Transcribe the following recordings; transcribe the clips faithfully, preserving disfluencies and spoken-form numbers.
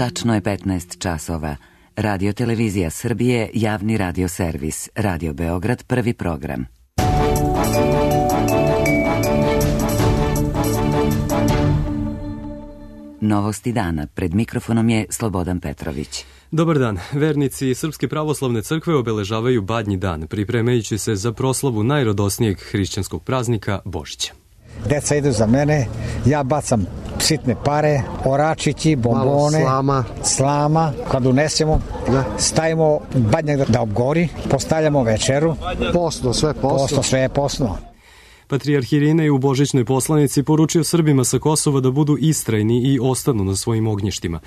Tačno je petnaest časova. Radio Televizija Srbije, javni radio servis, Radio Beograd, prvi program. Novosti dana. Pred mikrofonom je Slobodan Petrović. Dobar dan. Vernici Srpske pravoslavne crkve obeležavaju Badnji dan, pripremajući se za proslavu najradosnijeg hrišćanskog praznika Božića. Deca idu za mene, ja bacam sitne pare, oračići, bombone, slama. slama. Kad unesemo, da. stavimo badnjak da obgori, postavljamo večeru. Posno, sve posno. Posno, sve je posno. Patrijarh Irinej u božićnoj poslanici poručio Srbima sa Kosova da budu istrajni i ostanu na svojim ognjištima.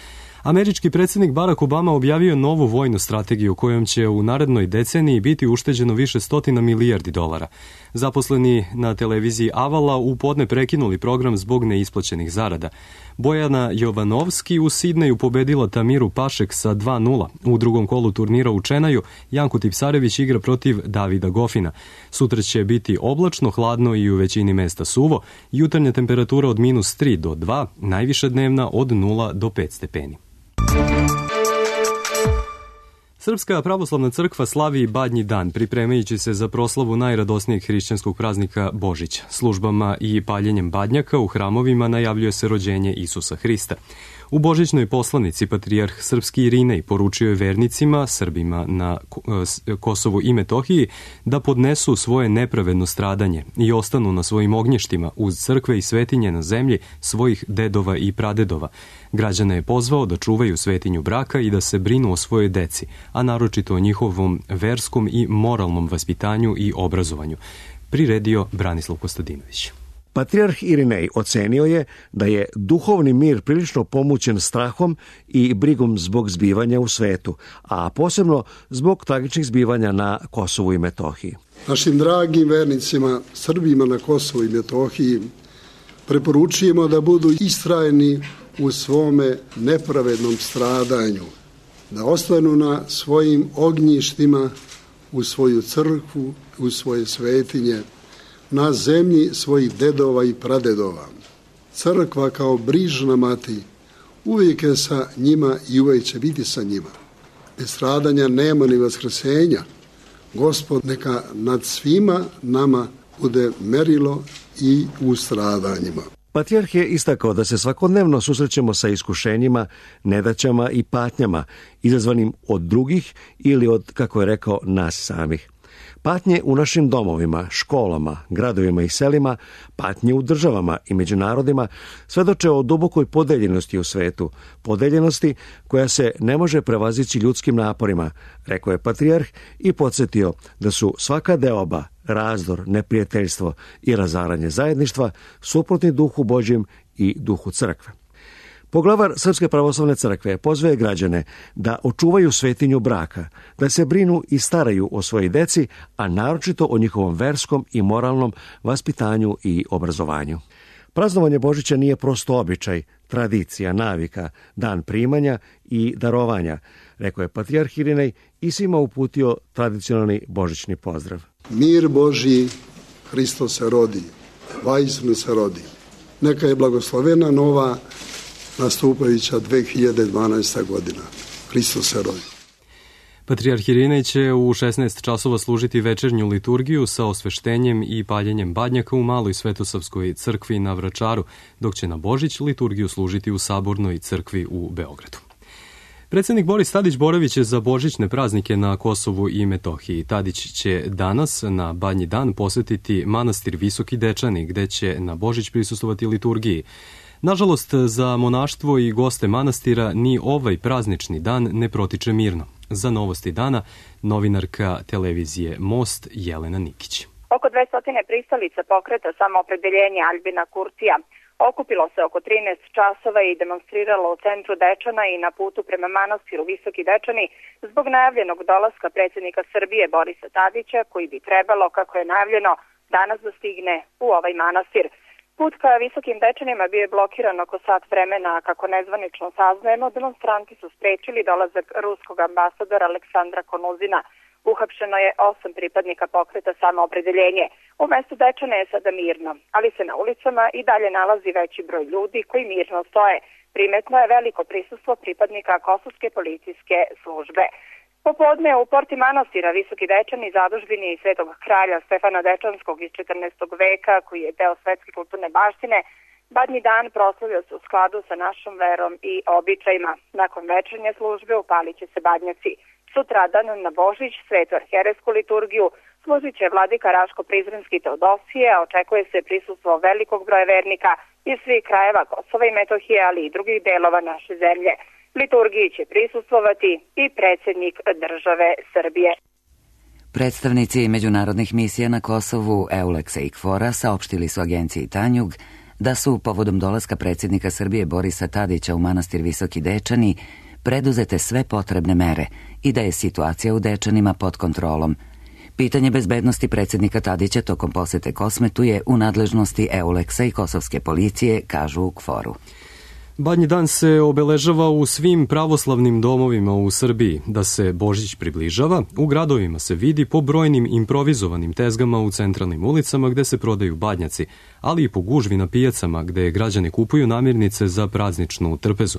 Američki predsjednik Barack Obama objavio novu vojnu strategiju kojom će u narednoj deceniji biti ušteđeno više stotina milijardi dolara. Zaposleni na televiziji Avala u podne prekinuli program zbog neisplaćenih zarada. Bojana Jovanovski u Sidneju pobedila Tamiru Pašek sa dva nula. U drugom kolu turnira u Čenaju Janko Tipsarević igra protiv Davida Gofina. Sutra će biti oblačno, hladno i u većini mesta suvo. Jutarnja temperatura od minus tri do dva, najviša dnevna od nula do pet stepeni. Srpska pravoslavna crkva slavi Badnji dan, pripremajući se za proslavu najradosnijeg hrišćanskog praznika Božića. Službama i paljenjem badnjaka u hramovima najavljuje se rođenje Isusa Hrista. U božićnoj poslanici patrijarh Srpski Irinej poručio je vernicima, Srbima na Kosovu i Metohiji, da podnesu svoje nepravedno stradanje i ostanu na svojim ognjištima uz crkve i svetinje na zemlji svojih dedova i pradedova. Građane je pozvao da čuvaju svetinju braka i da se brinu o svojoj deci, a naročito o njihovom verskom i moralnom vaspitanju i obrazovanju. Priredio Branislav Kostadinović. Patrijarh Irinej ocenio je da je duhovni mir prilično pomućen strahom i brigom zbog zbivanja u svetu, a posebno zbog tragičnih zbivanja na Kosovu i Metohiji. Našim dragim vernicima, Srbima na Kosovu i Metohiji, preporučujemo da budu istrajni u svome nepravednom stradanju, da ostanu na svojim ognjištima, u svoju crkvu, u svoje svetinje, na zemlji svojih dedova i pradedova. Crkva kao brižna mati uvijek je sa njima i uvijek će biti sa njima. Bez stradanja nema ni vaskrsenja. Gospod neka nad svima nama bude merilo i u stradanjima. Patrijarh je istakao da se svakodnevno susrećemo sa iskušenjima, nedaćama i patnjama, izazvanim od drugih ili od, kako je rekao, nas samih. Patnje u našim domovima, školama, gradovima i selima, patnje u državama i među narodima svedoče o dubokoj podeljenosti u svetu, podeljenosti koja se ne može prevazići ljudskim naporima, rekao je patrijarh i podsjetio da su svaka deoba, razdor, neprijateljstvo i razaranje zajedništva suprotni duhu Božjem i duhu crkve. Poglavar Srpske pravoslavne crkve pozvaje građane da očuvaju svetinju braka, da se brinu i staraju o svojoj deci, a naročito o njihovom verskom i moralnom vaspitanju i obrazovanju. Praznovanje Božića nije prosto običaj, tradicija, navika, dan primanja i darovanja, rekao je patrijarh Irinej i svima uputio tradicionalni božićni pozdrav. Mir Božji, Hristos se rodi, vaistinu se rodi. Neka je blagoslovena nova nastupajuća dve hiljade dvanaesta. godina. Hristos se rodi. Patrijarh Irinej će u šesnaest časova služiti večernju liturgiju sa osveštenjem i paljenjem badnjaka u Maloj Svetosavskoj crkvi na Vračaru, dok će na Božić liturgiju služiti u Sabornoj crkvi u Beogradu. Predsjednik Boris Tadić-Boravić je za božićne praznike na Kosovu i Metohiji. Tadić će danas na Badnji dan posjetiti manastir Visoki Dečani, gde će na Božić prisustvovati liturgiji. Nažalost, za monaštvo i goste manastira ni ovaj praznični dan ne protiče mirno. Za novosti dana, novinarka televizije Most Jelena Nikić. Oko dvesta pristalica pokreta Samoopredeljenje Aljbina Kurtija okupilo se oko trinaest časova i demonstriralo u centru Dečana i na putu prema manastiru Visoki Dečani zbog najavljenog dolaska predsjednika Srbije Borisa Tadića, koji bi trebalo, kako je najavljeno, danas da stigne u ovaj manastir. Put ka Visokim Dečanima bio je blokiran oko sat vremena, a kako nezvanično saznajemo, demonstranti su sprečili dolazak ruskog ambasadora Aleksandra Konuzina. Uhapšeno je osam pripadnika pokreta Samoopredeljenje. U mestu Dečana je sada mirno, ali se na ulicama i dalje nalazi veći broj ljudi koji mirno stoje. Primetno je veliko prisustvo pripadnika Kosovske policijske službe. Popodne u porti manastira Visoki Dečani, zadužbini svetog kralja Stefana Dečanskog iz četrnaestog veka, koji je deo svetske kulturne baštine, Badnji dan proslavio se u skladu sa našom verom i običajima. Nakon večernje službe upalit će se badnjaci. Sutradan na Božić, svetu arhijerejsku liturgiju, služit će vladika Raško-Prizrenski Teodosije, a očekuje se prisustvo velikog broja vernika iz svih krajeva Kosova i Metohije, ali i drugih delova naše zemlje. Liturgiji će prisustvovati i predsjednik države Srbije. Predstavnici međunarodnih misija na Kosovu Euleksa i Kfora saopštili su agenciji Tanjug da su povodom dolaska predsjednika Srbije Borisa Tadića u manastir Visoki Dečani preduzete sve potrebne mere i da je situacija u Dečanima pod kontrolom. Pitanje bezbednosti predsjednika Tadića tokom posete Kosmetu je u nadležnosti Euleksa i kosovske policije, kažu u Kforu. Badnji dan se obeležava u svim pravoslavnim domovima u Srbiji. Da se Božić približava, u gradovima se vidi po brojnim improvizovanim tezgama u centralnim ulicama gde se prodaju badnjaci, ali i po gužvi na pijacama gde građani kupuju namirnice za prazničnu trpezu.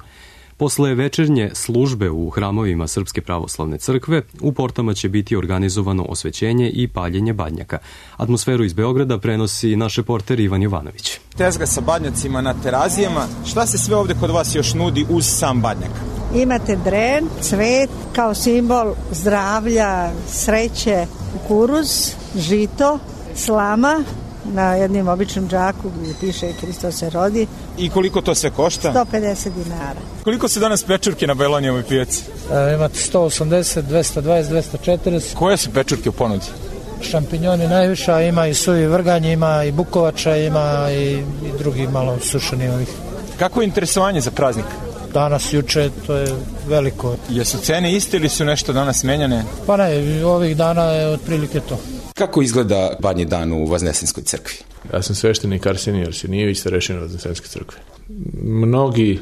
Posle večernje službe u hramovima Srpske pravoslavne crkve, u portama će biti organizovano osvećenje i paljenje badnjaka. Atmosferu iz Beograda prenosi naš reporter Ivan Jovanović. Tezga sa badnjacima na terazijama. Šta se sve ovde kod vas još nudi uz sam badnjak? Imate dren, cvet, kao simbol zdravlja, sreće, kukuruz, žito, slama, na jednim običnom džaku gdje piše Hristos se rodi. I koliko to sve košta? sto pedeset dinara. Koliko se danas pečurke na Belonijevoj pijaci? E, imate sto osamdeset, dvesta dvadeset, dvesta četrdeset. Koje su pečurke u ponudi? Šampinjoni najviša, ima i suvi vrganj, ima i bukovača, ima i, i drugi malo sušeni ovih. Kako je interesovanje za praznik? Danas, juče, to je veliko. Jesu cene iste ili su nešto danas menjane? Pa ne, ovih dana je otprilike to. Kako izgleda Badnji dan u Vaznesenskoj crkvi? Ja sam sveštenik Arsenije Arsenijević, starešina Vaznesenske crkve. Mnogi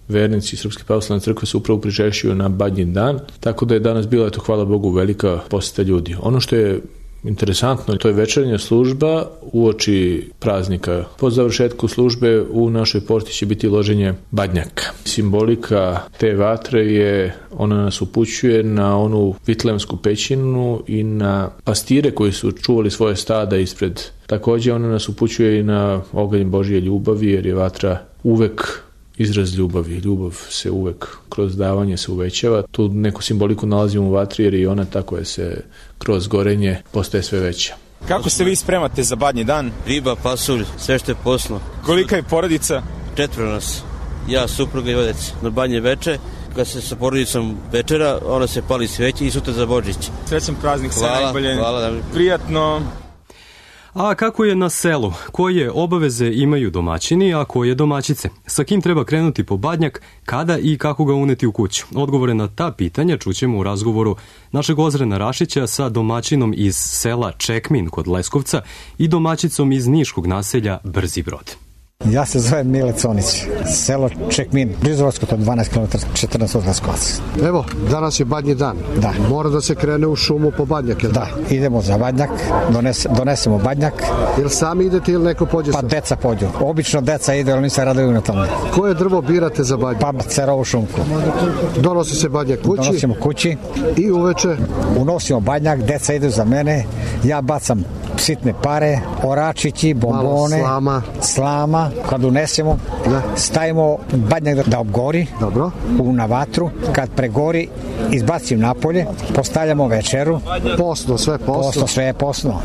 vernici Srpske pravoslavne crkve se upravo pričešćuju na Badnji dan, tako da je danas bila, eto, hvala Bogu, velika poseta ljudi. Ono što je interesantno, to je večernja služba uoči praznika. Po završetku službe u našoj porti će biti loženje badnjaka. Simbolika te vatre je, ona nas upućuje na onu vitlemsku pećinu i na pastire koji su čuvali svoje stada ispred. Također ona nas upućuje i na oganj Božje ljubavi, jer je vatra uvek izraz ljubavi. Ljubav se uvek kroz davanje se uvećava. Tu neku simboliku nalazimo u vatri, jer i ona tako je se kroz gorenje postaje sve veća. Kako se vi spremate za Badnji dan? Riba, pasulj, sve što je poslo. Kolika je porodica? Četvro nas. Ja, supruga i odec. Na Badnje veče, kad se sa porodicom večera, ona se pali sveće i sutra za Božić. Srećan praznik, sve najbolje. Hvala. Prijatno. A kako je na selu? Koje obaveze imaju domaćini, a koje domaćice? Sa kim treba krenuti po badnjak, kada i kako ga uneti u kuću? Odgovore na ta pitanja čućemo u razgovoru našeg Ozrena Rašića sa domaćinom iz sela Čekmin kod Leskovca i domaćicom iz niškog naselja Brzi Brod. Ja se zovem Mile Conić, selo Čekmin, blizu Leskovca, dvanaest kilometara, četrnaest od Leskovac. Evo, danas je Badnji dan. Da. Mora da se krene u šumu po badnjak, jel? Da, idemo za badnjak, dones, donesemo badnjak. Jel sami idete ili neko pođe? Pa deca pođu. Obično deca ide, ali nisam raduju na tome. Koje drvo birate za badnjak? Pa cerovu šumku. Donosi se badnjak kući? Donosimo kući. I uveče? Unosimo badnjak, deca idu za mene, ja bacam sitne pare, oračići, bombone, slama. slama. Kad unesemo, da. stavimo badnjak da, da obgori. Dobro. U, na vatru. Kad pregori, izbacim napolje, postavljamo večeru. Posno, sve posno. Posno, sve je posno.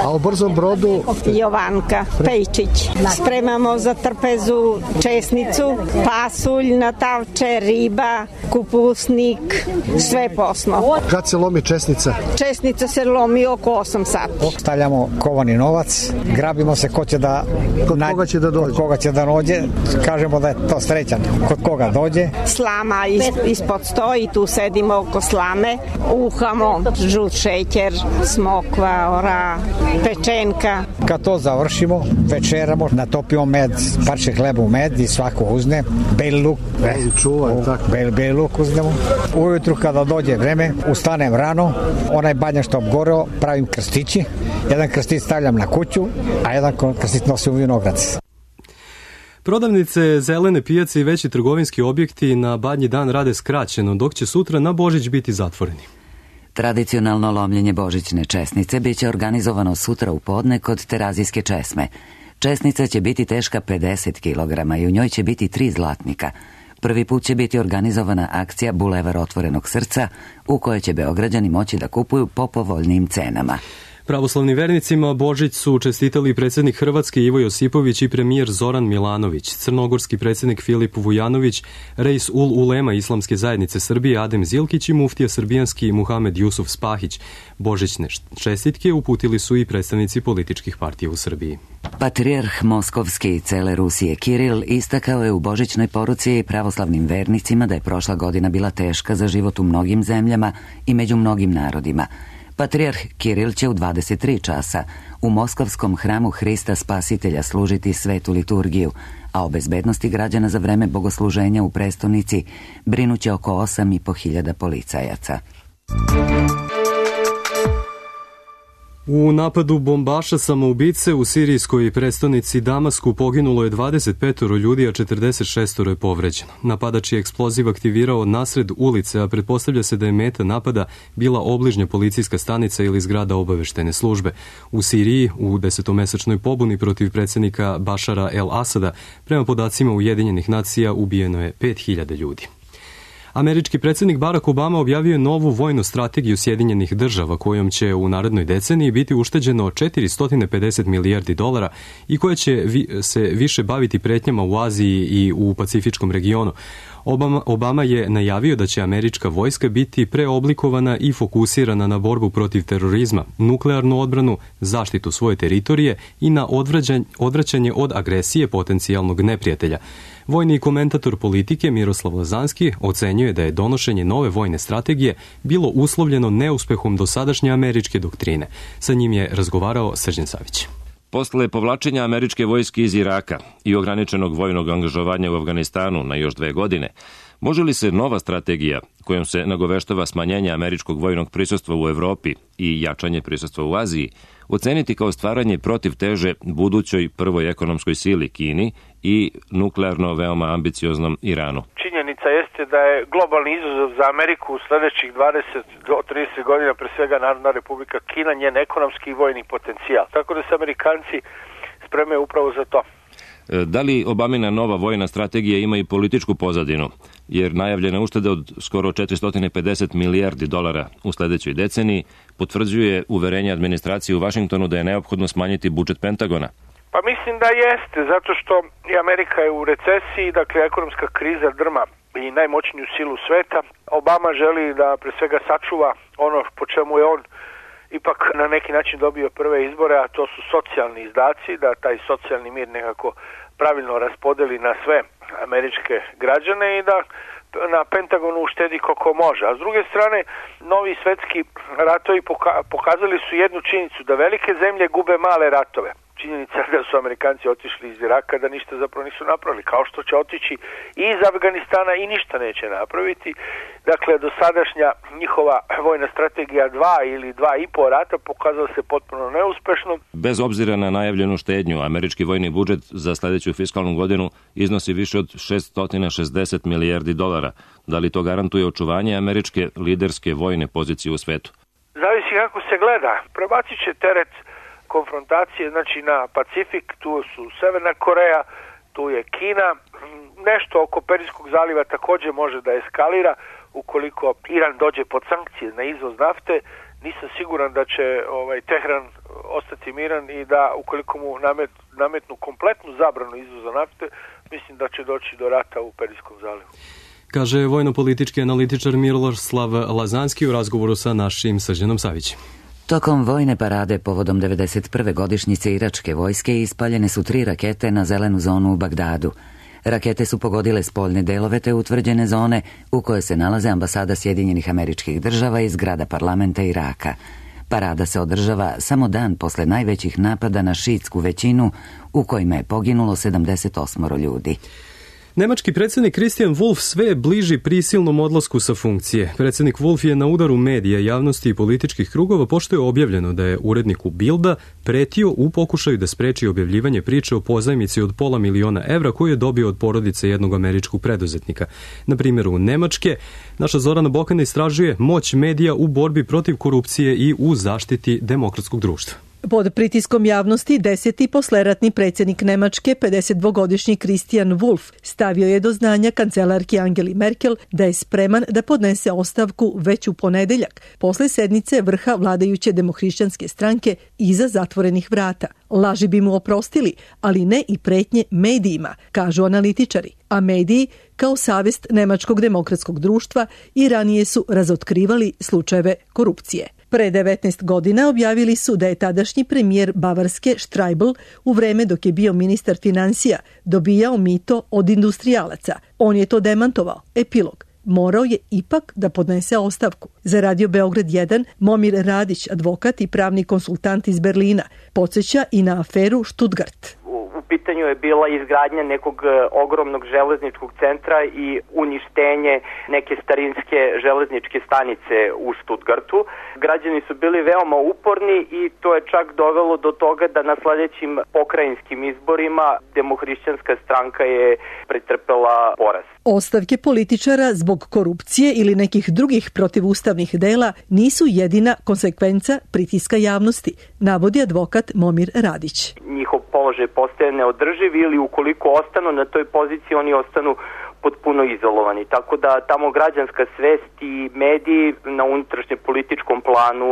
A u Brzom Brodu? Jovanka Pejčić. Spremamo za trpezu česnicu, pasulj, natavče, riba, kupusnik, sve posno. Kad se lomi česnica? Česnica se lomi oko osam sati. Stavljamo stavljamo kovani novac, grabimo se ko će da... Kod na... koga će da dođe? Kod koga će da dođe, kažemo da je to srećan. Kod koga dođe. Slama is, ispod stoji, tu sedimo oko slame, uhamo žut šećer, smokva, ora, pečenka. Kad to završimo, večeramo, natopimo med, parče hleba u med i svako uzne, beli luk, e, čuvaj, tako. Bel, beli luk uznemo. Ujutru kada dođe vreme, ustanem rano, onaj badnjak što obgoreo, pravim krstići, jedan krstić stavljam na kuću, a jedan krstić nosim u vinograd. Prodavnice, zelene pijace i veći trgovinski objekti na Badnji dan rade skraćeno, dok će sutra na Božić biti zatvoreni. Tradicionalno lomljenje božićne česnice biće organizovano sutra u podne kod Terazijske česme. Česnica će biti teška pedeset kilograma i u njoj će biti tri zlatnika. Prvi put će biti organizovana akcija Bulevar otvorenog srca, u kojoj će Beograđani moći da kupuju po povoljnijim cenama. Pravoslavnim vernicima Božić su čestitali predsjednik Hrvatske Ivo Josipović i premijer Zoran Milanović, crnogorski predsjednik Filip Vujanović, Reis ul Ulema Islamske zajednice Srbije Adem Zilkić i muftija srbijanski Muhamed Jusuf Spahić. Božićne čestitke uputili su i predstavnici političkih partija u Srbiji. Patrijarh Moskovski i cele Rusije Kiril istakao je u božićnoj poruci pravoslavnim vernicima da je prošla godina bila teška za život u mnogim zemljama i među mnogim narodima. Patrijarh Kiril će u dvadeset tri časa u Moskovskom hramu Hrista Spasitelja služiti svetu liturgiju, a o bezbednosti građana za vreme bogosluženja u prestonici brinuće oko osam i po hiljada policajaca. U napadu bombaša samoubice u sirijskoj prestonici Damasku poginulo je dvadeset pet ljudi, a četrdeset šest je povređeno. Napadač je eksploziv aktivirao nasred ulice, a pretpostavlja se da je meta napada bila obližnja policijska stanica ili zgrada obaveštene službe. U Siriji, u desetomesečnoj pobuni protiv predsjednika Bašara el Asada, prema podacima Ujedinjenih nacija, ubijeno je pet hiljada ljudi. Američki predsjednik Barack Obama objavio je novu vojnu strategiju Sjedinjenih država kojom će u narednoj deceniji biti ušteđeno četiristo pedeset milijardi dolara i koja će vi, se više baviti pretnjama u Aziji i u Pacifičkom regionu. Obama, Obama je najavio da će američka vojska biti preoblikovana i fokusirana na borbu protiv terorizma, nuklearnu odbranu, zaštitu svoje teritorije i na odvraćanje od agresije potencijalnog neprijatelja. Vojni komentator politike Miroslav Lazanski ocenjuje da je donošenje nove vojne strategije bilo uslovljeno neuspehom dosadašnje američke doktrine. Sa njim je razgovarao Srđan Savić. Posle povlačenja američke vojske iz Iraka i ograničenog vojnog angažovanja u Afganistanu na još dve godine, može li se nova strategija kojom se nagoveštava smanjenje američkog vojnog prisustva u Evropi i jačanje prisustva u Aziji oceniti kao stvaranje protivteže budućoj prvoj ekonomskoj sili Kini i nuklearno veoma ambicioznom Iranu? Činjenica jeste da je globalni izazov za Ameriku u sledećih dvadeset do trideset godina pre svega Narodna Republika Kina, njen ekonomski i vojni potencijal. Tako da se Amerikanci spremaju upravo za to. Da li Obamina nova vojna strategija ima i političku pozadinu? Jer najavljena ušteda od skoro četiristo pedeset milijardi dolara u sledećoj deceniji potvrđuje uverenje administracije u Vašingtonu da je neophodno smanjiti budžet Pentagona. Pa mislim da jeste, zato što i Amerika je u recesiji, dakle ekonomska kriza drma i najmoćniju silu sveta. Obama želi da pre svega sačuva ono po čemu je on ipak na neki način dobio prve izbore, a to su socijalni izdaci, da taj socijalni mir nekako pravilno raspodeli na sve američke građane i da na Pentagonu uštedi koliko može. A s druge strane, novi svetski ratovi pokazali su jednu činjenicu, da velike zemlje gube male ratove. Činjenica da su Amerikanci otišli iz Iraka, da ništa zapravo nisu napravili, kao što će otići i iz Afganistana i ništa neće napraviti. Dakle, dosadašnja njihova vojna strategija dva ili dva i po rata pokazala se potpuno neuspešno. Bez obzira na najavljenu štednju, američki vojni budžet za sledeću fiskalnu godinu iznosi više od šeststo šezdeset milijardi dolara. Da li to garantuje očuvanje američke liderske vojne pozicije u svetu? Zavisi kako se gleda. Prebacit će teret konfrontacije, znači na Pacifik, tu su Severna Koreja, tu je Kina, nešto oko Perijskog zaliva također može da eskalira ukoliko Iran dođe pod sankcije na izvoz nafte. Nisam siguran da će ovaj Tehran ostati miran i da ukoliko mu namet, nametnu kompletnu zabranu izvoza nafte, mislim da će doći do rata u Perijskom zalivu. Kaže vojno-politički analitičar Miroslav Lazanski u razgovoru sa našim Srđanom Savićem. Tokom vojne parade povodom devedeset prve godišnjice iračke vojske ispaljene su tri rakete na zelenu zonu u Bagdadu. Rakete su pogodile spoljne delove te utvrđene zone u kojoj se nalaze ambasada Sjedinjenih Američkih Država i zgrada parlamenta Iraka. Parada se održava samo dan posle najvećih napada na šiitsku većinu u kojima je poginulo sedamdeset osam ljudi. Nemački predsjednik Christian Wulff sve je bliži prisilnom odlasku sa funkcije. Predsjednik Wulff je na udaru medija, javnosti i političkih krugova pošto je objavljeno da je uredniku Bilda pretio u pokušaju da spreči objavljivanje priče o pozajmici od pola miliona evra koju je dobio od porodice jednog američkog preduzetnika. Na primjeru Nemačke, naša Zorana Bokana istražuje moć medija u borbi protiv korupcije i u zaštiti demokratskog društva. Pod pritiskom javnosti deseti posleratni predsjednik Nemačke, pedesetdvogodišnji Christian Wulff, stavio je do znanja kancelarki Angeli Merkel da je spreman da podnese ostavku već u ponedeljak, posle sednice vrha vladajuće demohrišćanske stranke iza zatvorenih vrata. Laži bi mu oprostili, ali ne i pretnje medijima, kažu analitičari. A mediji, kao savest Nemačkog demokratskog društva, i ranije su razotkrivali slučajeve korupcije. Pre devetnaest godina objavili su da je tadašnji premijer Bavarske Streibl u vreme dok je bio ministar financija dobijao mito od industrijalaca. On je to demantovao. Epilog. Morao je ipak da podnese ostavku. Za Radio Beograd jedan, Momir Radić, advokat i pravni konsultant iz Berlina, podsjeća i na aferu Stuttgart. U pitanju je bila izgradnja nekog ogromnog železničkog centra i uništenje neke starinske železničke stanice u Stuttgartu. Građani su bili veoma uporni i to je čak dovelo do toga da na sledećim pokrajinskim izborima demohrišćanska stranka je pretrpela poraz. Ostavke političara zbog korupcije ili nekih drugih protivustavnih dela nisu jedina konsekvenca pritiska javnosti, navodi advokat Momir Radić. Njihov položaj postaje neodrživ ili ukoliko ostanu na toj poziciji, oni ostanu potpuno izolovani. Tako da tamo građanska svest i mediji na unutrašnjem političkom planu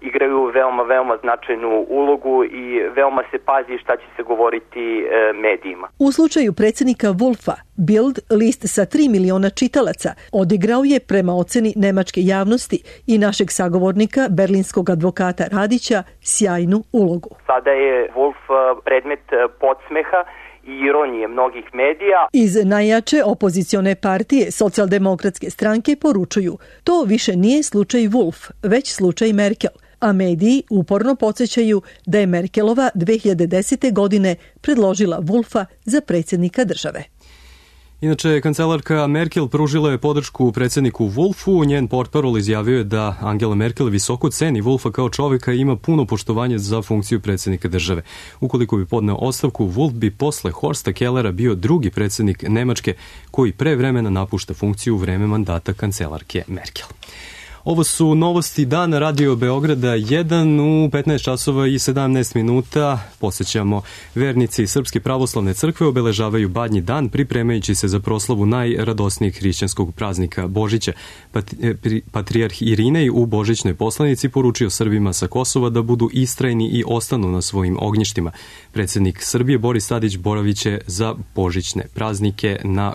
igraju veoma, veoma značajnu ulogu i veoma se pazi šta će se govoriti e, medijima. U slučaju predsjednika Wulffa, Bild, list sa tri miliona čitalaca, odigrao je prema oceni nemačke javnosti i našeg sagovornika, berlinskog advokata Radića, sjajnu ulogu. Sada je Wulff predmet podsmeha i ironije mnogih medija. Iz najjače opozicione partije Socijaldemokratske stranke poručuju, to više nije slučaj Wulff, već slučaj Merkel, a mediji uporno podsjećaju da je Merkelova dve hiljade desete. godine predložila Wulffa za predsjednika države. Inače, kancelarka Merkel pružila je podršku predsjedniku Wulffu. Njen portparol izjavio je da Angela Merkel visoko ceni Wulffa kao čovjeka i ima puno poštovanje za funkciju predsjednika države. Ukoliko bi podneo ostavku, Wulff bi posle Horsta Kellera bio drugi predsjednik Nemačke koji pre vremena napušta funkciju u vreme mandata kancelarke Merkel. Ovo su novosti dana Radio Beograda jedan u petnaest časova i sedamnaest minuta. Posjećamo, vernici Srpske pravoslavne crkve obeležavaju Badnji dan pripremajući se za proslavu najradosnijeg hrišćanskog praznika Božića. Patrijarh Irinej u božićnoj poslanici poručio Srbima sa Kosova da budu istrajni i ostanu na svojim ognjištima. Predsjednik Srbije Boris Tadić boraviće za božićne praznike na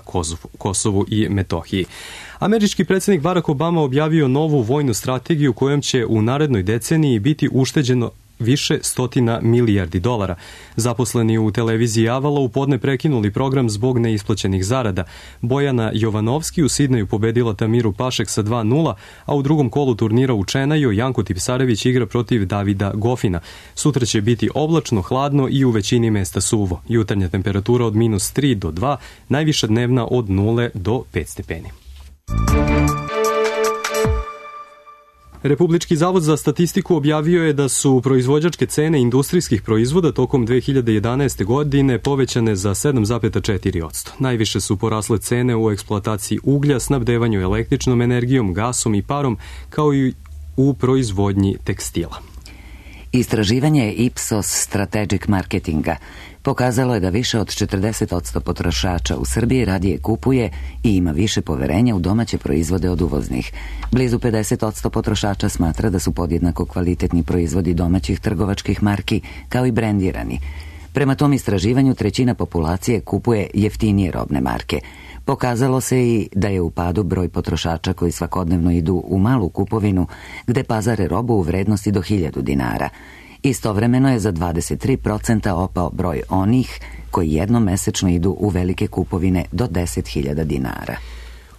Kosovu i Metohiji. Američki predsjednik Barack Obama objavio novu vojnu strategiju kojom će u narednoj deceniji biti ušteđeno više stotina milijardi dolara. Zaposleni u televiziji Avala u podne prekinuli program zbog neisplaćenih zarada. Bojana Jovanovski u Sidneju pobedila Tamiru Pašek sa dva nula, a u drugom kolu turnira u Čenaju Janko Tipsarević igra protiv Davida Gofina. Sutra će biti oblačno, hladno i u većini mesta suvo. Jutarnja temperatura od minus tri do dva, najviša dnevna od nule do pet stepeni. Republički zavod za statistiku objavio je da su proizvođačke cene industrijskih proizvoda tokom dve hiljade jedanaeste. godine povećane za sedam zarez četiri posto. Najviše su porasle cene u eksploataciji uglja, snabdevanju električnom energijom, gasom i parom, kao i u proizvodnji tekstila. Istraživanje Ipsos Strategic Marketinga pokazalo je da više od četrdeset posto potrošača u Srbiji radije kupuje i ima više poverenja u domaće proizvode od uvoznih. Blizu pedeset posto potrošača smatra da su podjednako kvalitetni proizvodi domaćih trgovačkih marki kao i brendirani. Prema tom istraživanju trećina populacije kupuje jeftinije robne marke. Pokazalo se i da je u padu broj potrošača koji svakodnevno idu u malu kupovinu gde pazare robu u vrednosti do hiljadu dinara. Istovremeno je za dvadeset tri procenta opao broj onih koji jednom mesečno idu u velike kupovine do deset hiljada dinara.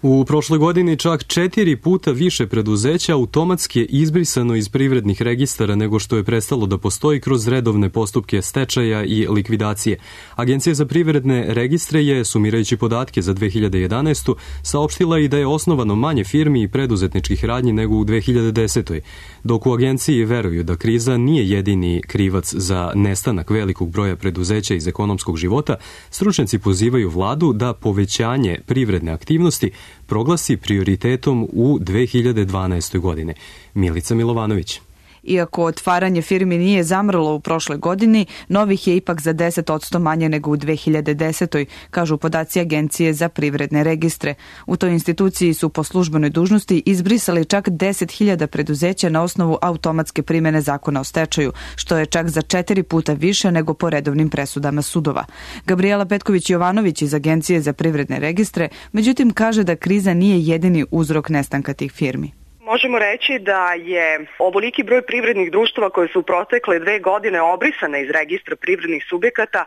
U prošloj godini čak četiri puta više preduzeća automatski je izbrisano iz privrednih registara nego što je prestalo da postoji kroz redovne postupke stečaja i likvidacije. Agencija za privredne registre je, sumirajući podatke za dve hiljade jedanaestu. saopštila i da je osnovano manje firmi i preduzetničkih radnji nego u dve hiljade desetoj. Dok u agenciji veruju da kriza nije jedini krivac za nestanak velikog broja preduzeća iz ekonomskog života, stručnjaci pozivaju vladu da povećanje privredne aktivnosti proglasi prioritetom u dve hiljade dvanaestoj. godine. Milica Milovanović. Iako otvaranje firmi nije zamrlo u prošloj godini, novih je ipak za deset posto manje nego u dve hiljade desetoj. kažu podaci Agencije za privredne registre. U toj instituciji su po službenoj dužnosti izbrisali čak deset hiljada preduzeća na osnovu automatske primene zakona o stečaju, što je čak za četiri puta više nego po redovnim presudama sudova. Gabriela Petković-Jovanović iz Agencije za privredne registre, međutim kaže da kriza nije jedini uzrok nestanka tih firmi. Možemo reći da je ovoliki broj privrednih društava koje su u protekle dve godine obrisane iz registra privrednih subjekata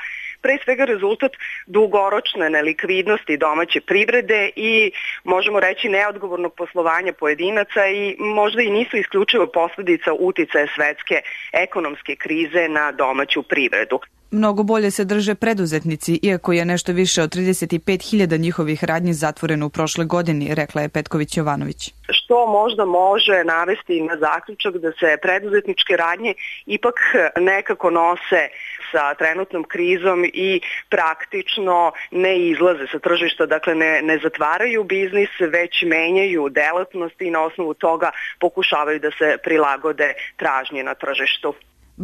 pre svega rezultat dugoročne nelikvidnosti domaće privrede i možemo reći neodgovornog poslovanja pojedinaca i možda i nisu isključivo posljedica uticaja svetske ekonomske krize na domaću privredu. Mnogo bolje se drže preduzetnici, iako je nešto više od trideset pet hiljada njihovih radnji zatvoreno u prošloj godini, rekla je Petković-Jovanović. Što možda može navesti na zaključak da se preduzetničke radnje ipak nekako nose sa trenutnom krizom i praktično ne izlaze sa tržišta, dakle ne, ne zatvaraju biznis, već menjaju delatnosti i na osnovu toga pokušavaju da se prilagode tražnji na tržištu.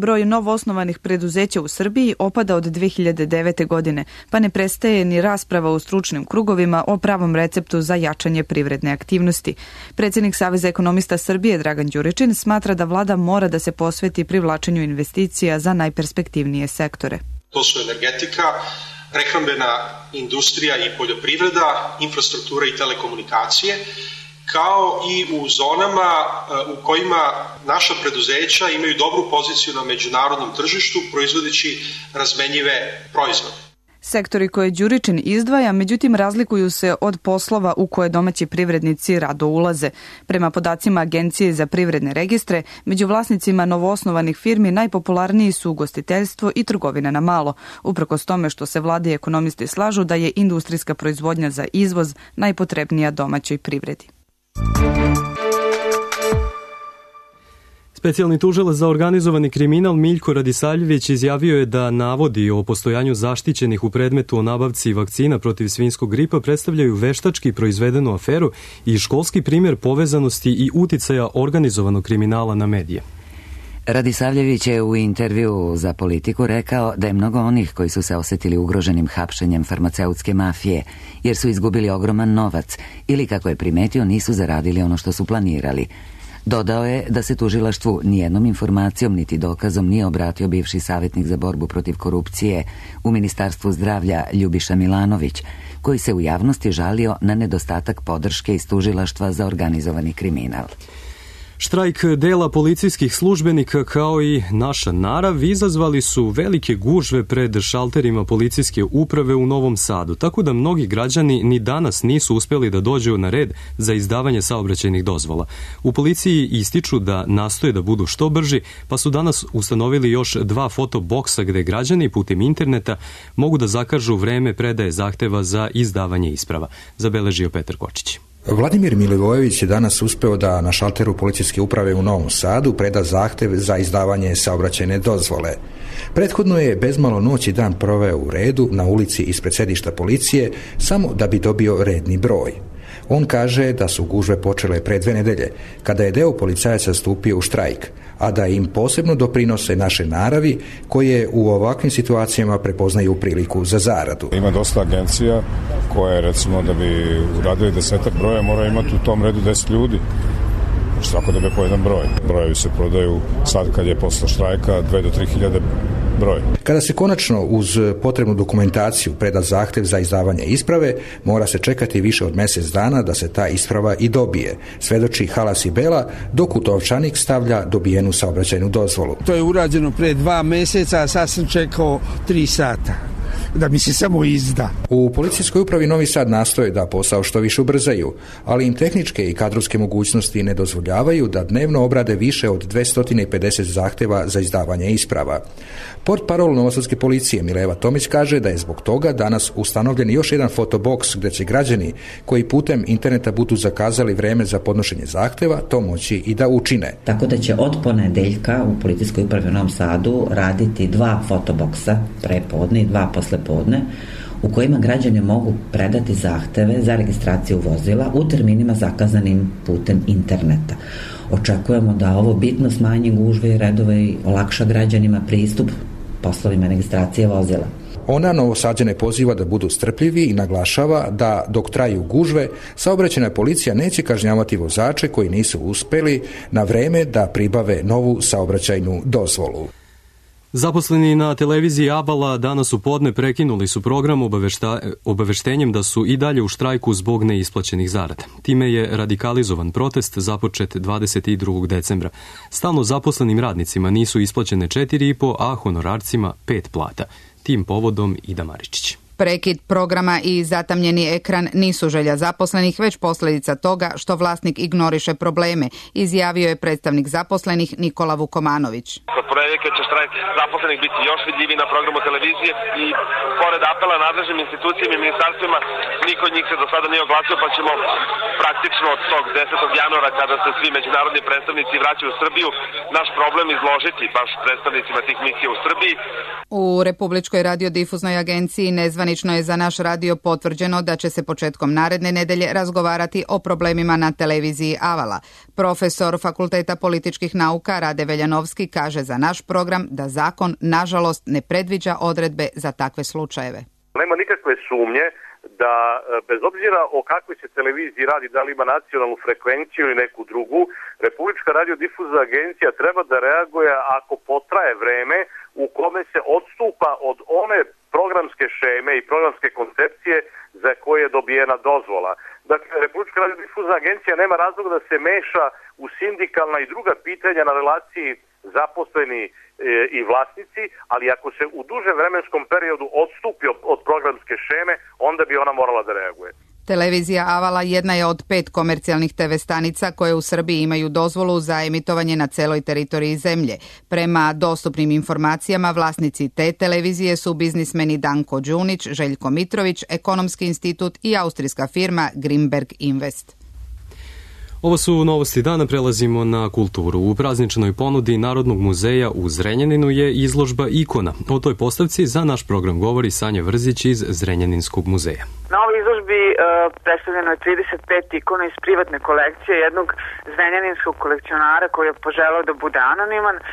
Broj novoosnovanih preduzeća u Srbiji opada od dve hiljade devete. godine, pa ne prestaje ni rasprava u stručnim krugovima o pravom receptu za jačanje privredne aktivnosti. Predsjednik Saveza ekonomista Srbije Dragan Đuričin smatra da vlada mora da se posveti privlačenju investicija za najperspektivnije sektore. To su energetika, prehrambena industrija i poljoprivreda, infrastruktura i telekomunikacije, kao i u zonama u kojima naša preduzeća imaju dobru poziciju na međunarodnom tržištu proizvodeći razmenjive proizvode. Sektori koje Đuričin izdvaja, međutim, razlikuju se od poslova u koje domaći privrednici rado ulaze. Prema podacima Agencije za privredne registre, među vlasnicima novoosnovanih firmi najpopularniji su ugostiteljstvo i trgovina na malo, uprkos tome što se vlade i ekonomisti slažu da je industrijska proizvodnja za izvoz najpotrebnija domaćoj privredi. Specijalni tužilac za organizovani kriminal Miljko Radisavljević izjavio je da navodi o postojanju zaštićenih u predmetu o nabavci vakcina protiv svinjskog gripa predstavljaju veštački proizvedenu aferu i školski primjer povezanosti i uticaja organizovanog kriminala na medije. Radisavljević je u intervju za Politiku rekao da je mnogo onih koji su se osetili ugroženim hapšenjem farmaceutske mafije, jer su izgubili ogroman novac ili, kako je primetio, nisu zaradili ono što su planirali. Dodao je da se tužilaštvu nijednom informacijom niti dokazom nije obratio bivši savjetnik za borbu protiv korupcije u Ministarstvu zdravlja Ljubiša Milanović, koji se u javnosti žalio na nedostatak podrške iz tužilaštva za organizovani kriminal. Štrajk dela policijskih službenika kao i naša narav izazvali su velike gužve pred šalterima policijske uprave u Novom Sadu, tako da mnogi građani ni danas nisu uspeli da dođu na red za izdavanje saobraćajnih dozvola. U policiji ističu da nastoje da budu što brži, pa su danas ustanovili još dva fotoboksa gde građani putem interneta mogu da zakažu vreme predaje zahteva za izdavanje isprava, zabeležio Petar Kočić. Vladimir Milivojević je danas uspeo da na šalteru policijske uprave u Novom Sadu preda zahtev za izdavanje saobraćajne dozvole. Prethodno je bezmalo noć i dan proveo u redu na ulici ispred sedišta policije samo da bi dobio redni broj. On kaže da su gužve počele pre dve nedelje, kada je deo policajaca stupio u štrajk, a da im posebno doprinose naše naravi, koje u ovakvim situacijama prepoznaju priliku za zaradu. Ima dosta agencija koje, recimo, da bi uradili desetak broja, mora imati u tom redu deset ljudi. Svako dobije po jedan broj. Brojevi se prodaju sad kad je posle štrajka dve do tri hiljade broj. Kada se konačno uz potrebnu dokumentaciju preda zahtev za izdavanje isprave, mora se čekati više od mjesec dana da se ta isprava i dobije, svedoči Halas i Bela, dok u Tovčanik stavlja dobijenu saobraćajnu dozvolu. To je urađeno pre dva mjeseca, a sad sam čekao tri sata da mi se samo izda. U policijskoj upravi Novi Sad nastoje da posao što više ubrzaju, ali im tehničke i kadrovske mogućnosti ne dozvoljavaju da dnevno obrade više od dvesta pedeset zahteva za izdavanje isprava. Portparol Novosadske policije Mileva Tomić kaže da je zbog toga danas ustanovljen još jedan fotoboks gdje će građani koji putem interneta budu zakazali vreme za podnošenje zahteva to moći i da učine. Tako da će od ponedeljka u policijskoj upravi u Novom Sadu raditi dva fotoboksa prepodne i dva poslepodne u kojima građani mogu predati zahteve za registraciju vozila u terminima zakazanim putem interneta. Očekujemo da ovo bitno smanji gužve i redove i olakša građanima pristup poslovima registracije vozila. Ona Novosađane poziva da budu strpljivi i naglašava da dok traju gužve, saobraćajna policija neće kažnjavati vozače koji nisu uspeli na vreme da pribave novu saobraćajnu dozvolu. Zaposleni na televiziji Avala danas u podne prekinuli su program obavešta, obaveštenjem da su i dalje u štrajku zbog neisplaćenih zarada. Time je radikalizovan protest započet dvadeset drugog decembra. Stalno zaposlenim radnicima nisu isplaćene četiri i po, a honorarcima pet plata. Tim povodom Ida Maričić. Prekid programa i zatamnjeni ekran nisu želja zaposlenih, već posljedica toga što vlasnik ignoriše probleme, izjavio je predstavnik zaposlenih Nikola Vukomanović. Kod ponedeljka će štrajk zaposlenih biti još vidljiviji na programu televizije i pored apela nadležnim institucijama i ministarstvima, niko od njih se do sada nije oglasio, pa ćemo praktično od tog desetog januara kada se svi međunarodni predstavnici vraćaju u Srbiju, naš problem izložiti baš predstavnicima tih misija u Srbiji. U Republičkoj radiodifuznoj agenciji nezvanično je za naš radio potvrđeno da će se početkom naredne nedelje razgovarati o problemima na televiziji Avala. Profesor Fakulteta političkih nauka Rade Veljanovski kaže za naš program da zakon, nažalost, ne predviđa odredbe za takve slučajeve. Nema nikakve sumnje da bez obzira o kakvoj se televiziji radi, da li ima nacionalnu frekvenciju ili neku drugu, Republička radiodifuzna agencija treba da reaguje ako potraje vreme u kome se odstupa od one programske šeme i programske koncepcije za koje je dobijena dozvola. Dakle, Republička radiodifuzna agencija nema razloga da se meša u sindikalna i druga pitanja na relaciji zaposleni e, i vlasnici, ali ako se u duže vremenskom periodu odstupi od, od programske šeme, onda bi ona morala da reaguje. Televizija Avala jedna je od pet komercijalnih te ve stanica koje u Srbiji imaju dozvolu za emitovanje na celoj teritoriji zemlje. Prema dostupnim informacijama, vlasnici te televizije su biznismeni Danko Đunić, Željko Mitrović, Ekonomski institut i austrijska firma Grimberg Invest. Ovo su novosti dana, prelazimo na kulturu. U prazničnoj ponudi Narodnog muzeja u Zrenjaninu je izložba ikona. O toj postavci za naš program govori Sanja Vrzić iz Zrenjaninskog muzeja. Na ovoj izložbi uh, predstavljeno je trideset pet ikona iz privatne kolekcije jednog zrenjaninskog kolekcionara koji je poželao da bude anoniman. Uh,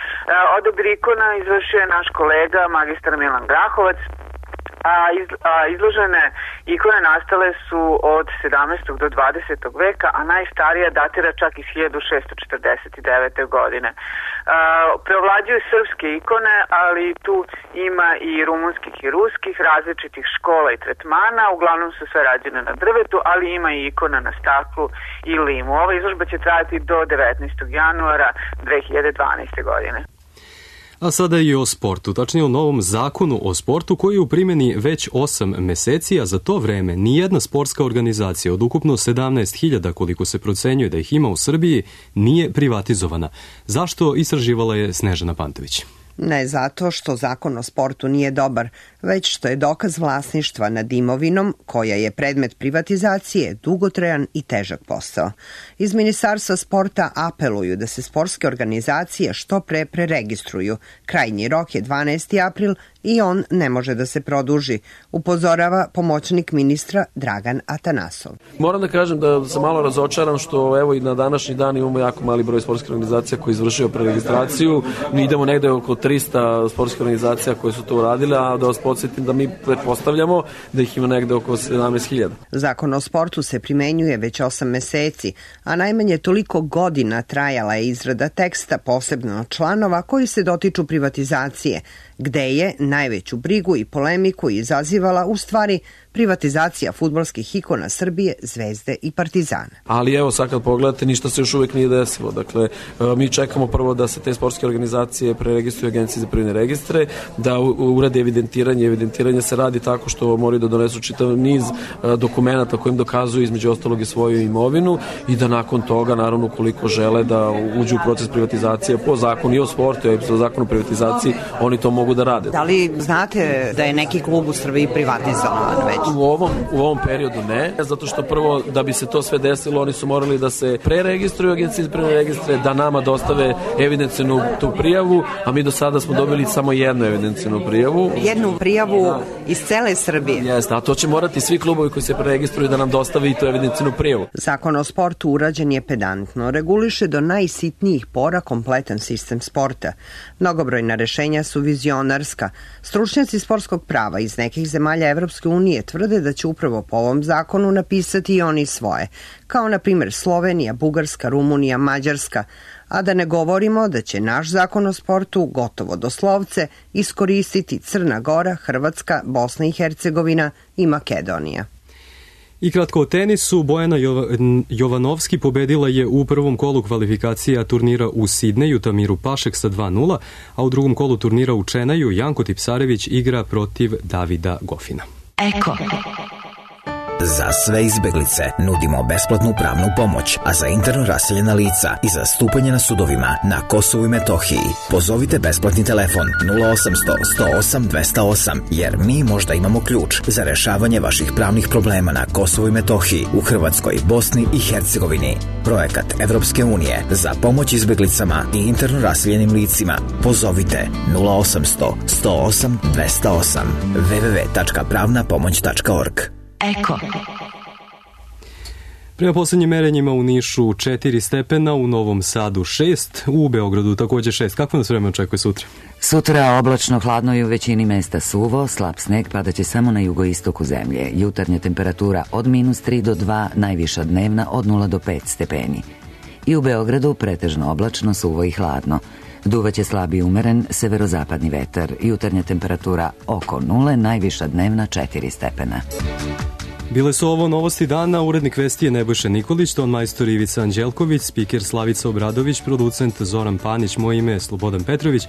odabir ikona izvršio je naš kolega, magistar Milan Grahovac. A, iz, a izložene ikone nastale su od sedamnaestog do dvadesetog veka, a najstarija datira čak iz hiljadu šessto četrdeset devete. godine. A, preovlađuju srpske ikone, ali tu ima i rumunskih i ruskih, različitih škola i tretmana, uglavnom su sve rađene na drvetu, ali ima i ikona na staklu i limu. Ova izložba će trajati do devetnaestog januara dve hiljade dvanaeste. godine. A sada i o sportu, tačnije o novom zakonu o sportu koji je u primjeni već osam meseci, a za to vreme nijedna sportska organizacija od ukupno sedamnaest hiljada koliko se procenjuje da ih ima u Srbiji nije privatizovana. Zašto, istraživala je Snežana Pantović. Ne zato što zakon o sportu nije dobar, već što je dokaz vlasništva nad imovinom, koja je predmet privatizacije, dugotrajan i težak posao. Iz Ministarstva sporta apeluju da se sportske organizacije što pre preregistruju. Krajnji rok je dvanaesti april i on ne može da se produži, upozorava pomoćnik ministra Dragan Atanasov. Moram da kažem da sam malo razočaran što evo i na današnji dan imamo jako mali broj sportskih organizacija koji izvršio preregistraciju. Mi idemo negde oko trista sportskih organizacija koje su to uradile, a da vas podsjetim da mi pretpostavljamo da ih ima negde oko sedamnaest hiljada. Zakon o sportu se primenjuje već osam meseci, a najmanje toliko godina trajala je izrada teksta, posebno članova koji se dotiču privatizacije. gde je najveću brigu i polemiku izazivala u stvari privatizacija fudbalskih ikona Srbije, Zvezde i Partizana. Ali evo sad kad pogledate, ništa se još uvek nije desilo. Dakle, mi čekamo prvo da se te sportske organizacije preregistruju Agenciji za privredne registre, da urade evidentiranje. Evidentiranje se radi tako što moraju da donesu čitav niz dokumenata kojim dokazuju između ostalog i svoju imovinu i da nakon toga, naravno, koliko žele da uđu u proces privatizacije po zakonu i o sportu i po zakonu o privatizaciji, oni to mogu da rade. Da li znate da je neki klub u Srbiji privatizovan već? U ovom, u ovom periodu ne, zato što prvo da bi se to sve desilo, oni su morali da se preregistruju Agenciji za privredne registre, da nama dostave evidencijnu tu prijavu, a mi do sada smo dobili samo jednu evidencijnu prijavu. Jednu prijavu iz cele Srbije. Jeste, a to će morati svi klubovi koji se preregistruju da nam dostave i tu evidencijnu prijavu. Zakon o sportu urađen je pedantno, reguliše do najsitnijih pora kompletan sistem sporta. Mnogobrojna rešenja su vizionarska. Stručnjaci sportskog prava iz nekih zemalja Evropske unije tvrde da će upravo po ovom zakonu napisati i oni svoje, kao na primjer Slovenija, Bugarska, Rumunija, Mađarska, a da ne govorimo da će naš zakon o sportu gotovo doslovce iskoristiti Crna Gora, Hrvatska, Bosna i Hercegovina i Makedonija. I kratko o tenisu, Bojana Jovanovski pobedila je u prvom kolu kvalifikacija turnira u Sidneju Tamiru Pašek sa dva nula, a u drugom kolu turnira u Čenaju Janko Tipsarević igra protiv Davida Gofina. Eko. Za sve izbeglice nudimo besplatnu pravnu pomoć, a za interno raseljena lica i za stupanje na sudovima na Kosovu i Metohiji pozovite besplatni telefon nula osamsto sto osam dvesta osam, jer mi možda imamo ključ za rešavanje vaših pravnih problema na Kosovu i Metohiji, u Hrvatskoj, Bosni i Hercegovini. Projekat Evropske unije za pomoć izbeglicama i interno raseljenim licima. Pozovite nula osamsto sto osam dvesta osam w w w tačka pravna pomoć tačka org. Eko. Prema poslednjim merenjima u Nišu četiri stepena, u Novom Sadu šest, u Beogradu takođe šest. Kako nas vreme očekuje sutra? Sutra oblačno, hladno i u većini mesta suvo, slab sneg padaće samo na jugoistoku zemlje. Jutarnja temperatura od minus tri do dva, najviša dnevna od nula do pet stepeni. I u Beogradu pretežno oblačno, suvo i hladno. Duvaće slab i umeren severozapadni vetar. Jutarnja temperatura oko nule, najviša dnevna četiri stepena. Bile su ovo novosti dana, urednik vesti je Nebojša Nikolić, ton majstor Ivica Anđelković, spiker Slavica Obradović, producent Zoran Panić, moje ime je Slobodan Petrović.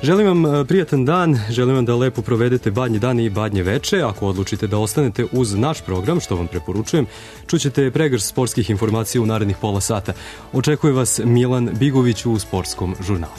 Želim vam prijatan dan, želim vam da lepo provedete badnje dane i badnje veče. Ako odlučite da ostanete uz naš program, što vam preporučujem, čućete pregrš sportskih informacija u narednih pola sata. Očekuje vas Milan Bigović u sportskom žurnalu.